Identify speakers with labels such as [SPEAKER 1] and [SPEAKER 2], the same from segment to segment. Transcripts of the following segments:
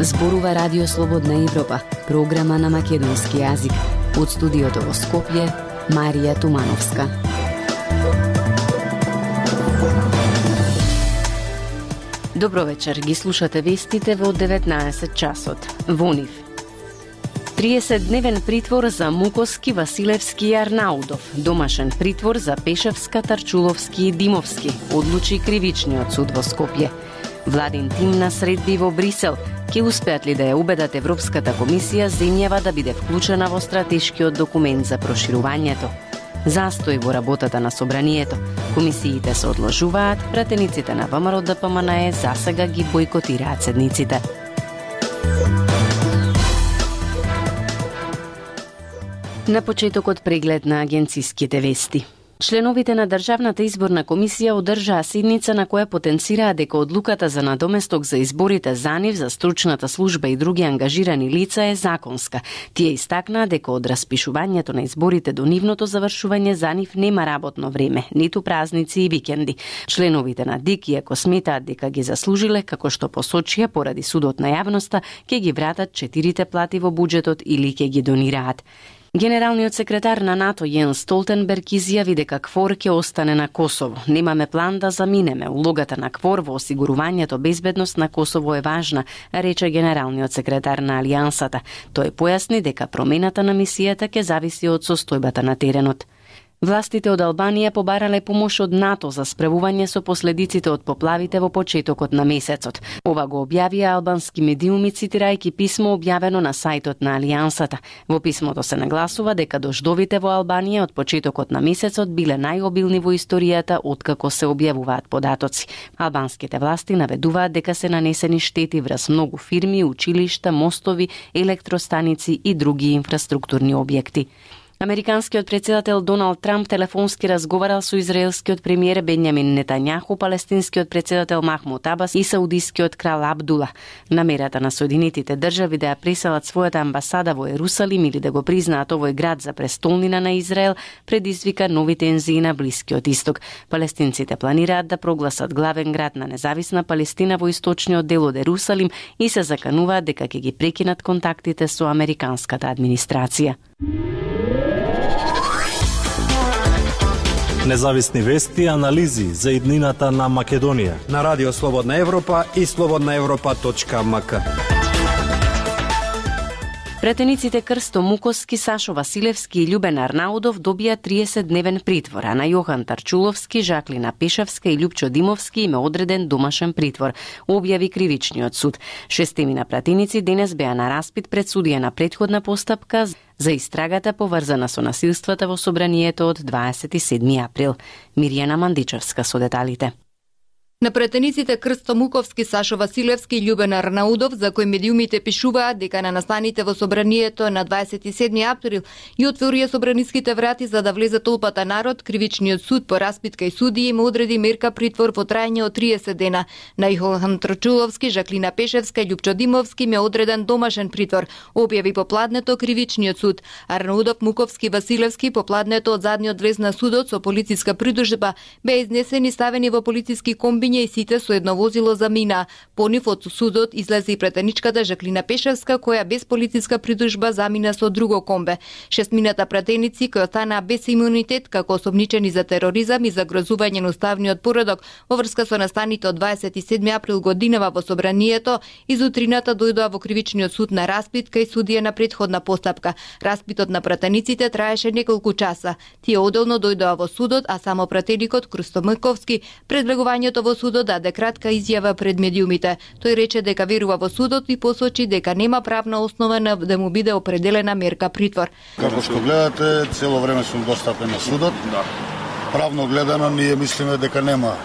[SPEAKER 1] Зборува Радио Слободна Европа, програма на македонски јазик. Од студиото во Скопје, Марија Тумановска. Добро вечер, ги слушате вестите во 19 часот. Во нив 30-дневен притвор за Мукоски, Василевски и Арнаудов. Домашен притвор за Пешевска, Тарчуловски и Димовски, одлучи Кривичниот суд во Скопје. Владин тим на средби во Брисел. Ке успеат ли да ја убедат Европската комисија земјава да биде вклучена во стратешкиот документ за проширувањето? Застој во работата на собранието. Комисиите се одложуваат, пратениците на ВМРО ДПМН засега ги бойкотираат седниците. На почетокот преглед на агенциските вести. Членовите на Државната изборна комисија одржаа седница на која потенцираа дека одлуката за надоместок за изборите за нив, за стручната служба и други ангажирани лица е законска. Тие истакнаа дека од распишувањето на изборите до нивното завршување за нив нема работно време, ниту празници и викенди. Членовите на ДИК, иако сметаат дека ги заслужиле, како што посочија поради судот на јавноста, ќе ги вратат 4 плати во буџетот или ќе ги донираат. Генералниот секретар на НАТО Јенс Столтенберг изјави дека КФОР ќе остане на Косово. Немаме план да заминеме. Улогата на КФОР во осигурувањето безбедност на Косово е важна, рече генералниот секретар на Алијансата. Тој појасни дека промената на мисијата ќе зависи од состојбата на теренот. Властите од Албанија побарале помош од НАТО за справување со последиците од поплавите во почетокот на месецот. Ова го објавија албански медиуми цитирајќи писмо објавено на сајтот на Алијансата. Во писмото се нагласува дека дождовите во Албанија од почетокот на месецот биле најобилни во историјата откако се објавуваат податоци. Албанските власти наведуваат дека се нанесени штети врз многу фирми, училишта, мостови, електростаници и други инфраструктурни објекти. Американскиот председател Доналд Трамп телефонски разговарал со израелскиот премиер Бенјамин Нетањаху, палестинскиот председател Махмуд Абас и саудискиот крал Абдула. Намерата на Соединетите држави да ја преселат својата амбасада во Ерусалим или да го признаат овој град за престолнина на Израел предизвика нови тензии на Блискиот исток. Палестинците планираат да прогласат главен град на независна Палестина во источниот дел од Ерусалим и се закануваат дека ќе ги прекинат контактите со американската администрација.
[SPEAKER 2] Независни вести и анализи за иднината на Македонија
[SPEAKER 3] на Радио Слободна Европа и slobodnaevropa.mk.
[SPEAKER 1] Претениците Крсто Мукоски, Сашо Василевски и Љубен Арнаудов добија 30-дневен притвор, а на Јохан Тарчуловски, Жаклина Пешевска и Љупчо Димовски им е одреден домашен притвор, објави Кривичниот суд. Шестемина пратеници денес беа на распит пред судија на претходна постапка за истрагата поврзана со насилствата во собранието од 27 април. Мирјана Мандичевска со деталите.
[SPEAKER 4] На претениците Крсто Муковски, Сашо Василевски и Љубен Арнаудов, за кои медиумите пишуваат дека на настаните во собранието на 27 април и отворија собраниските врати за да влезе толпата народ, Кривичниот суд по распит кај судија им одреди мерка притвор во трајање од 30 дена. На Јохан Тарчуловски, Жаклина Пешевска и Љупчо Димовски им е одреден домашен притвор, објави попладнето Кривичниот суд. Арнаудов, Муковски, Василевски попладнето од задниот влез на судот со полициска придужба беа изнесени ставени во полициски комби и сите со едно возило замина. По нив од судот излезе и претеничката Жаклина Пешевска, која без полициска придужба замина со друго комбе. Шестмината претеници кои останаа без имунитет како осомничени за тероризам и загрозување на уставниот поредок во врска со настаните од 27 април годинава во собранието, изутрината дојдоа во Кривичниот суд на распит кај судија на претходна постапка. Распитот на претениците траеше неколку часа. Тие одделно дојдоа во судот, а само претеникот Крсто Муковски пред влегувањето во судот даде кратка изјава пред медиумите. Тој рече дека верува во судот и посочи дека нема правна основа да му биде определена мерка притвор.
[SPEAKER 5] Како што гледате, цело време сум достапен на судот. Правно гледано, ние мислиме дека нема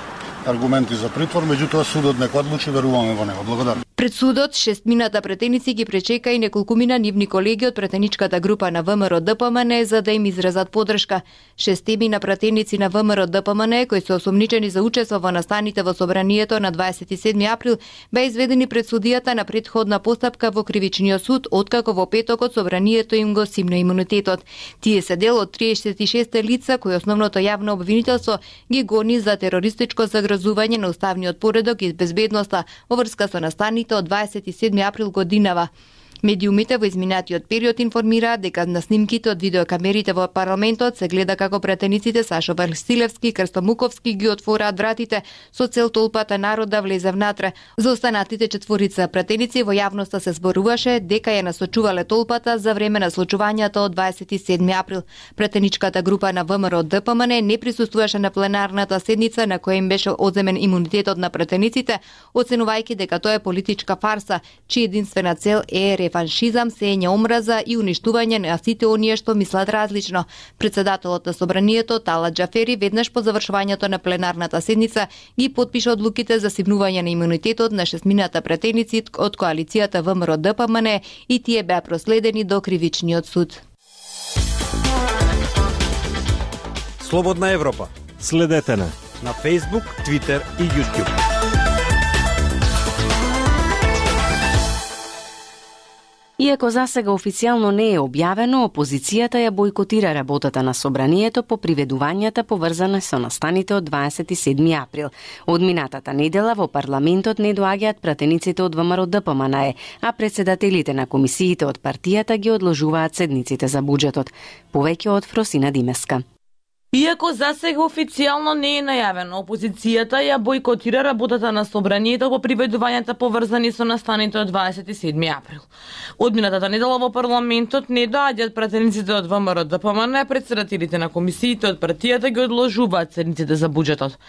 [SPEAKER 5] аргументи за притвор, меѓутоа судот нека одлучи, веруваме во него. Благодарам.
[SPEAKER 4] Пред судот, шестмината претеници ги пречека и неколкумина нивни колеги од претеничката група на ВМРО ДПМН за да им изразат поддршка. Шестемина претеници на ВМРО ДПМН кои се осомничени за учество во настаните во собранието на 27 април беа изведени пред судијата на претходна постапка во Кривичниот суд, откако во петокот собранието им го симна имунитетот. Тие се дел од 36 лица кои основното јавно обвинителство ги гони за терористичко загрозување на уставниот поредок и безбедноста во врска со настаните настаните од 27 април годинава. Медиумите во изминатиот период информираат дека на снимките од видеокамерите во парламентот се гледа како претениците Сашо Василевски и Крсто Муковски ги отвораат вратите со цел толпата народ да влезе внатре. За останатите четворица претеници во јавноста се зборуваше дека ја насочувале толпата за време на случувањата од 27 април. Претеничката група на ВМРО ДПМН не присуствуваше на пленарната седница на која им беше одземен имунитетот на претениците, оценувајќи дека тоа е политичка фарса, чија единствена цел е реваншизам, сеење омраза и уништување на сите оние што мислат различно. Председателот на собранието Талат Џафери веднаш по завршувањето на пленарната седница ги потпиша одлуките за симнување на имунитетот на 6 претеници од коалицијата ВМРО ДПМН и тие беа проследени до кривичниот суд.
[SPEAKER 3] Слободна Европа.
[SPEAKER 2] Следете на
[SPEAKER 3] Facebook, Twitter и YouTube.
[SPEAKER 1] Иако засега официјално не е објавено, опозицијата ја бойкотира работата на собранието по приведувањата поврзани со настаните од 27 април. Од минатата недела во парламентот не доаѓаат пратениците од ВМРО ДПМН, а председателите на комисиите од партијата ги одложуваат седниците за буџетот. Повеќе од Фросина Димеска.
[SPEAKER 6] Иако засега официјално не е најавено, опозицијата ја бойкотира работата на собранието по приведувањата поврзани со настаните од 27 април. Од минатата недела во парламентот не доаѓаат пратениците од ВМРО ДПМН, а председателите на комисиите од партијата ги одложуваат седниците за буџетот.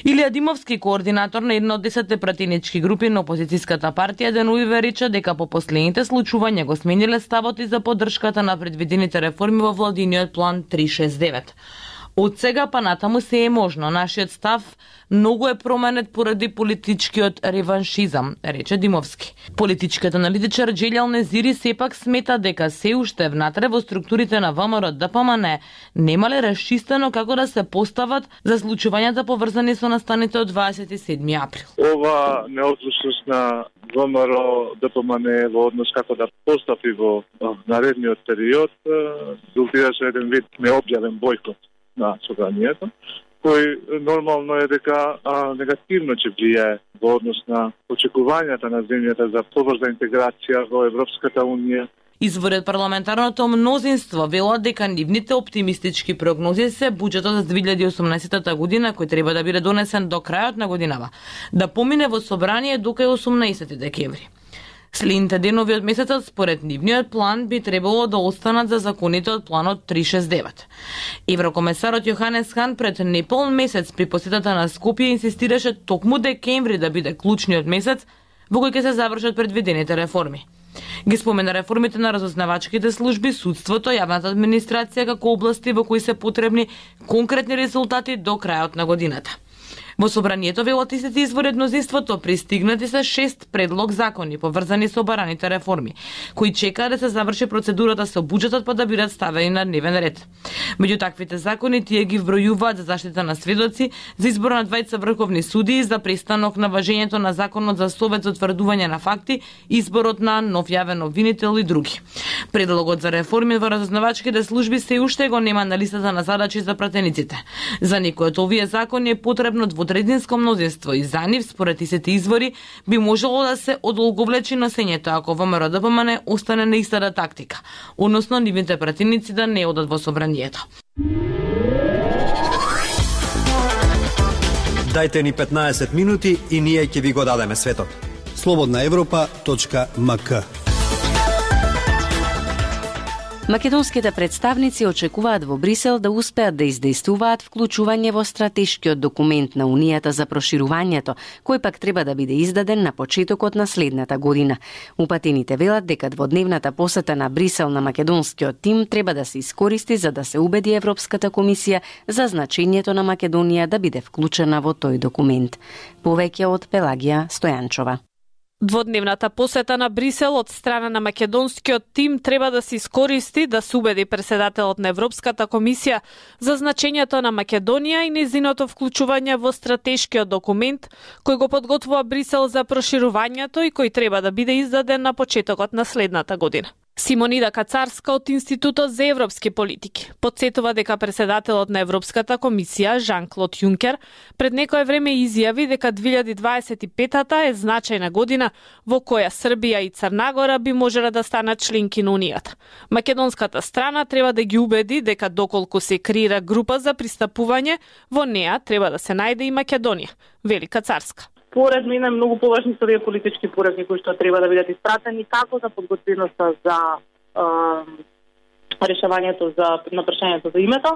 [SPEAKER 6] Илија Димовски, координатор на една од 10 пратенички групи на опозицијската партија, денуиве рече дека по последните случувања го смениле ставот и за поддршката на предвидените реформи во владиниот план 369. Од сега па натаму се е можно. Нашиот став многу е променет поради политичкиот реваншизам, рече Димовски. Политичкиот аналитичар Џелјал Незири сепак смета дека се уште внатре во структурите на ВМРО ДПМН немале расчистено како да се постават за случувањата поврзани со настаните од 27 април.
[SPEAKER 7] Ова неодлучност на ВМРО ДПМН во однос како да постапи во наредниот период резултираше еден вид необјавен бојкот на собранието, кој нормално е дека негативно ќе влијае во однос на очекувањата на земјата за побрза интеграција во Европската унија.
[SPEAKER 6] Извори од парламентарното мнозинство велат дека нивните оптимистички прогнози се буџетот за 2018 година, кој треба да биде донесен до крајот на годинава, да помине во собрание до кај 18 декември. Следните денови од месецот, според нивниот план, би требало да останат за законите од планот 369. Еврокомесарот Јоханес Хан пред неполн месец при посетата на Скопје инсистираше токму декември да биде клучниот месец во кој ќе се завршат предвидените реформи. Ги спомена реформите на разузнавачките служби, судството, јавната администрација како области во кои се потребни конкретни резултати до крајот на годината. Во собранието велат истите извори од мнозинството пристигнати се 6 предлог закони поврзани со бараните реформи, кои чекаат да се заврши процедурата со буџетот па да бидат ставени на дневен ред. Меѓу таквите закони тие ги вбројуваат за заштита на сведоци, за избор на двајца врховни судии, за престанок на важењето на законот за совет за утврдување на факти, изборот на нов јавен обвинител и други. Предлогот за реформи во разузнавачките служби се уште го нема на листата на задачи за пратениците. За некои од овие закони е потребно двотретинско мнозинство и за нив, според истите извори, би можело да се одолговлечи носењето ако ВМРО ДПМН остане на истата тактика, односно нивните пратеници да не одат во собранието.
[SPEAKER 3] Дајте ни 15 минути и ние ќе ви го дадеме светот.
[SPEAKER 8] slobodnaevropa.mk.
[SPEAKER 1] Македонските представници очекуваат во Брисел да успеат да издействуваат вклучување во стратешкиот документ на Унијата за проширувањето, кој пак треба да биде издаден на почетокот на следната година. Упатените велат дека дводневната посета на Брисел на македонскиот тим треба да се искористи за да се убеди Европската комисија за значењето на Македонија да биде вклучена во тој документ. Повеќе од Пелагија Стојанчова.
[SPEAKER 9] Дводневната посета на Брисел од страна на македонскиот тим треба да се искористи да се убеди председателот на Европската комисија за значењето на Македонија и нејзиното вклучување во стратешкиот документ кој го подготвува Брисел за проширувањето и кој треба да биде издаден на почетокот на следната година. Симонида Кацарска од Институтот за европски политики потсетува дека председателот на Европската комисија Жан-Клод Јункер пред некое време изјави дека 2025-та е значајна година во која Србија и Црна Гора би можеле да станат членки на Унијата. Македонската страна треба да ги убеди дека доколку се креира група за пристапување, во неа треба да се најде и Македонија, вели Кацарска.
[SPEAKER 8] Според мене многу поважни се овие политички пораки кои што треба да бидат испратени како за подготвеноста за решавањето на прашањето за името,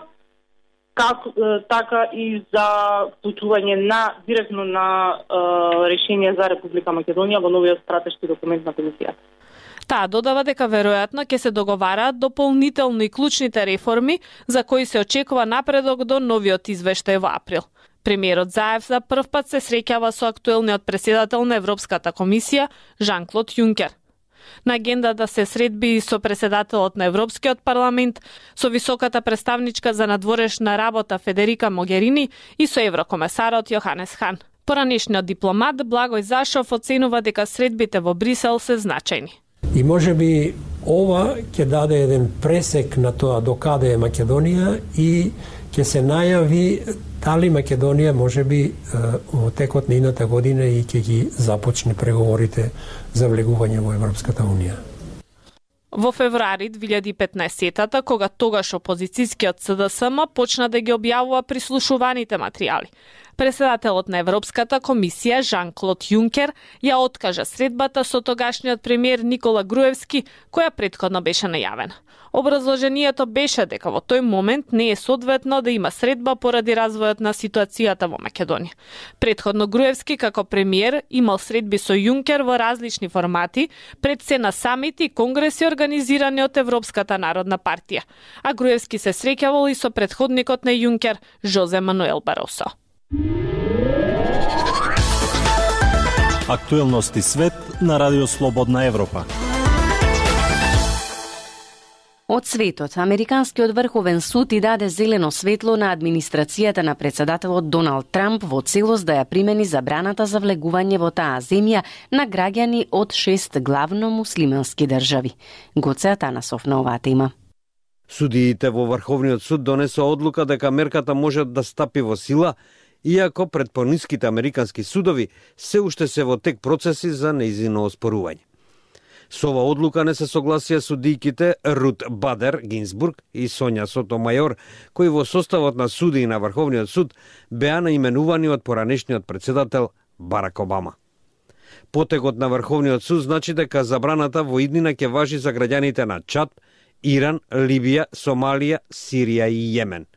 [SPEAKER 8] така и за вклучување директно на решение за Република Македонија во новиот стратешки документ на комисијата.
[SPEAKER 9] Таа додава дека веројатно ќе се договараат дополнително и клучните реформи за кои се очекува напредок до новиот извештај во април. Премиерот Заев за прв пат се среќава со актуелниот претседател на Европската комисија Жан-Клод Јункер. На агендата се средби и со претседателот на Европскиот парламент, со високата представничка за надворешна работа Федерика Могерини и со еврокомесарот Јоханес Хан. Поранешниот дипломат Благој Зашов оценува дека средбите во Брисел се значајни.
[SPEAKER 10] И можеби ова ќе даде еден пресек на тоа докаде е Македонија и ќе се најави дали Македонија можеби во текот на едната година и ќе ги започне преговорите за влегување во Европската Унија.
[SPEAKER 9] Во февруари 2015-та, кога тогаш опозицијскиот СДСМ почна да ги објавува прислушуваните материјали, председателот на Европската комисија Жан-Клод Јункер ја откажа средбата со тогашниот премиер Никола Груевски, која претходно беше најавена. Образложението беше дека во тој момент не е соодветно да има средба поради развојот на ситуацијата во Македонија. Претходно Груевски како премиер имал средби со Јункер во различни формати, пред се на самити и конгреси организирани од Европската народна партија, а Груевски се среќавал и со претходникот на Јункер Жозе Мануел Баросо.
[SPEAKER 2] Актуелности свет на Радио Слободна Европа.
[SPEAKER 1] Од светот, Американскиот врховен суд и даде зелено светло на администрацијата на председателот Доналд Трамп во целост да ја примени забраната за влегување во таа земја на граѓани од 6 главно муслимански држави. Гоце Атанасов на оваа тема.
[SPEAKER 3] Судиите во Врховниот суд донесоа одлука дека мерката може да стапи во сила, иако пред пониските американски судови се уште се во тек процеси за нејзино оспорување. Со ова одлука не се согласија судијките Рут Бадер Гинзбург и Сонја Сотомајор, кои во составот на судии на Врховниот суд беа наименувани од поранешниот председател Барак Обама. Потегот на Врховниот суд значи дека забраната во иднина ќе важи за граѓаните на Чад, Иран, Либија, Сомалија, Сирија и Јемен.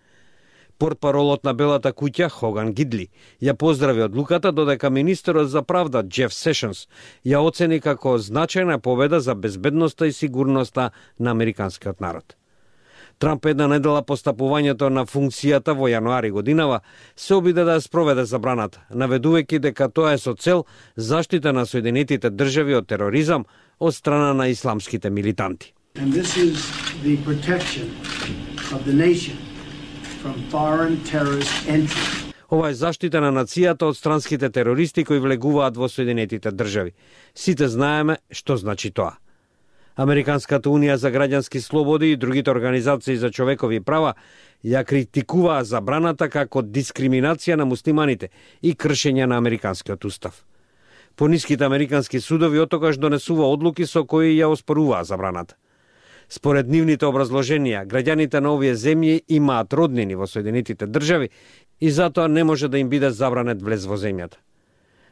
[SPEAKER 3] Портпаролот на Белата куќа Хоган Гидли ја поздрави одлуката, додека министерот за правда Джеф Сешенс ја оцени како значајна победа за безбедноста и сигурноста на американскиот народ. Трамп една недела по стапувањето на функцијата во јануари годинава се обиде да ја спроведе забраната, наведувајќи дека тоа е со цел заштита на Соединетите држави од тероризам од страна на исламските милитанти.
[SPEAKER 11] And this is the protection of the nation from foreign terrorist entry.
[SPEAKER 3] Ова е заштита на нацијата од странските терористи кои влегуваат во Соединетите држави. Сите знаеме што значи тоа. Американската унија за граѓански слободи и другите организации за човекови права ја критикуваа забраната како дискриминација на муслиманите и кршење на американскиот устав. Пониските американски судови отогаш донесува одлуки со кои ја оспоруваа забраната. Според нивните образложенија, граѓаните на овие земји имаат роднини во Соединетите држави и затоа не може да им биде забранет влез во земјата.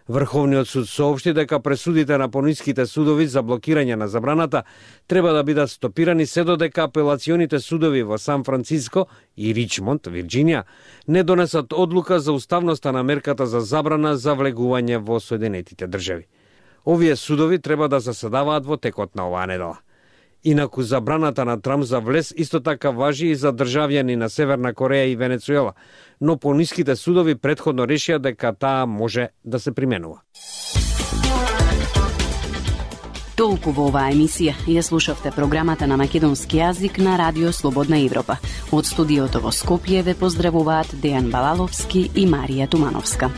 [SPEAKER 3] Врховниот суд соопшти дека пресудите на пониските судови за блокирање на забраната треба да бидат стопирани се додека апелационите судови во Сан Франциско и Ричмонд, Вирџинија, не донесат одлука за уставноста на мерката за забрана за влегување во Соединетите држави. Овие судови треба да заседаваат во текот на оваа недела. Инаку забраната на Трамп за влез исто така важи и за државјани на Северна Кореја и Венецуела, но пониските судови претходно решија дека таа може да се применува.
[SPEAKER 1] Толку во оваа емисија. Ја слушавте програмата на македонски јазик на Радио Слободна Европа. Од студиото во Скопје ве поздравуваат Дејан Балаловски и Марија Тумановска.